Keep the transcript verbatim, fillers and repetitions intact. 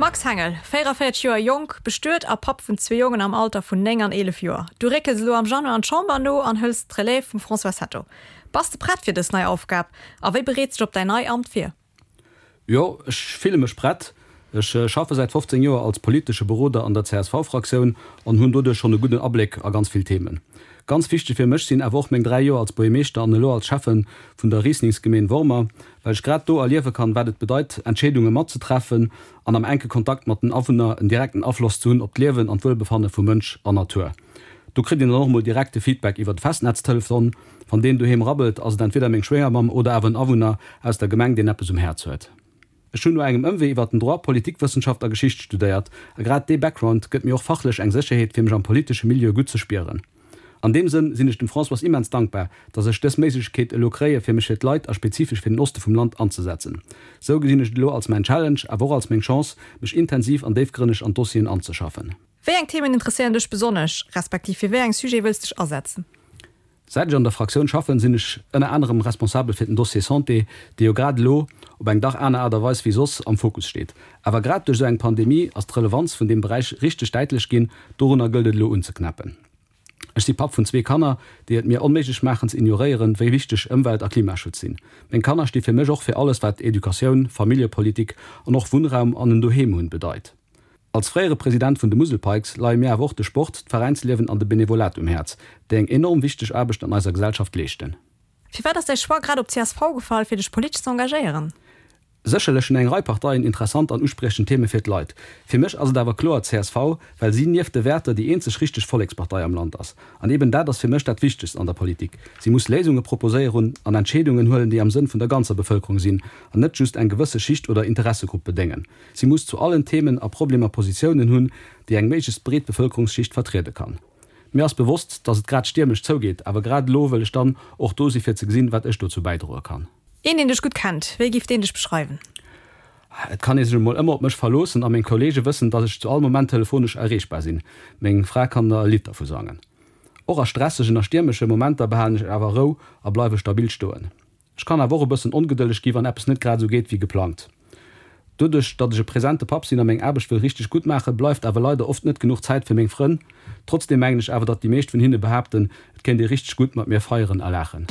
Max Hengel, véiereféierzeg Joer jonk, bestuet a Papp vun zwee Jongen am Alter vun néng an eelef Joer. Du réckels elo am Januar an d'Chamber no an hëls d'Relève vum François Hetto. Bass de prett fir dës nei Aufgab a wéi bereets de dech op däin nei Amt vir? Jo, ech fille mech prett. Ech schaffe säit fofzéng Joer als politesche Beroder an der C S V-Fraktioun an hunn doduerch schonn e gudden Abléck a ganz vill Themen. Ganz wichteg fir mech sinn awer och meng dräi Joer als Buergermeeschter an elo als Schäffe vun der Rieslingsgemeen Wormer, well ech grad do erliewe kann, wat et bedeit, Entscheedunge matzetreffen an am enke Kontakt mat den Awunner en direkten Afloss ze hunn op d'Liewen an d'Wuelbefanne vu Mënsch an Natur. Do kritt een dann och mol direkte Feedback iwwer de Festnetztelefon. Wann deen doheem rabbelt, ass et entweder meng Schwéiermamm oder awer en Awunner aus der Gemeng, deen eppes um Häerz huet. Ech hunn no engem Ëmwee iwwer den Droit Politikwëssenschaft a Geschicht studéiert a grad dee Background gëtt mir och fachlech eng Sécherheet, fir mech am politesche Milieu gutt ze spieren. An deem Sënn sinn ech dem Françoise immens dankbar, dass ech dës Méiglechkeet elo kréie fir mech fir d'Leit a spezifesch fir den Oste vum Land anzesetzen. Sou gesinn ech et elo als mäin Challenge, awer och als meng Chance, mech intensiv an déifgrënneg an d'Dossieren anzeschaffen. Wéi eng Themen interesséieren dech besonnesch, respektiv fir wéi eng Sujete wëlls dech asetzen? Säit ech an der Fraktioun schaffen, sinn ech ënner anerem responsabel fir den Dossier Santé, dee jo grad elo op eng dach aner Aart a Weis wéi soss am Fokus steet. Awer grad duerch esou eng Pandemie ass d'Relevanz vun deem Beräich richteg däitlech ginn. Dorunner gëllt et elo unzeknäppen. Ech si Papp vun zwee Kanner, déi et mir onméiglech maachen ze ignoréieren, wéi wichteg Ëmwelt a Klimaschutz sinn. Meng Kanner sti fir mech och fir alles wat Educatioun, Familljepolitik an och Wunnraum an en Doheem hunn bedeit. Als fréiere President vun de Musel Pikes leie mir awer och de Sport, d'Veräinsliewen an de Benevolat um Häerz, déi eng enorm wichteg Aarbecht an eiser Gesellschaft leeschten. Firwat ass däi Choix grad op C S V gefall, fir dech politesch ze engagéieren? Sécherlech hunn eng Rei Parteien interessant an uspriechend Theme fir d'Leit. Fir mech ass et awer kloer C S V, well si nieft de Wäerter déi eenzeg richteg Vollekspartei am Land ass. An eben dat ass fir mech dat Wichtegst an der Politik. Si muss Léisunge proposéieren an Entscheedungen huelen, déi am Sënn vun der ganzer Bevëlkerung sinn an net just eng gewësse Schicht oder Interessegrupp bedéngen. Si muss zu allen Themen a Problemer Positiounen hunn, déi eng méiglechst breet Bevëlkerungsschicht vertriede kann. Mir ass bewosst, dass et grad stiermesch zougeet, awer grad elo wëll ech dann och do si fir ze gesinn, wat ech dozou bäidroe kann. Een, deen dech gutt kennt, wéi géif deen dech beschreiwen? Et kann ee sech emol ëmmer op mech verloossen a meng Kolleege wëssen, dass ech zu all Moment telefonesch erreechbar sinn. Meng Fra kann der e Lidd dervu sangen. Och a stressegen a stiermesche Momenter behalen ech awer Rou a bleiwe stabil stoen. Ech kann awer och e bëssen ongedëlleg gi wann eppes net grad esou geet wéi geplangt. Doduerch, datt ech e presente Papp sinn a meng Aarbecht wëll richteg gutt maachen, bleift awer leider oft net genuch Zäit fir meng Frënn. Trotzdeem mengen ech awer, datt déi meescht vun hinne behaapten, et kéint ee richteg gutt mat mir feieren a laachen.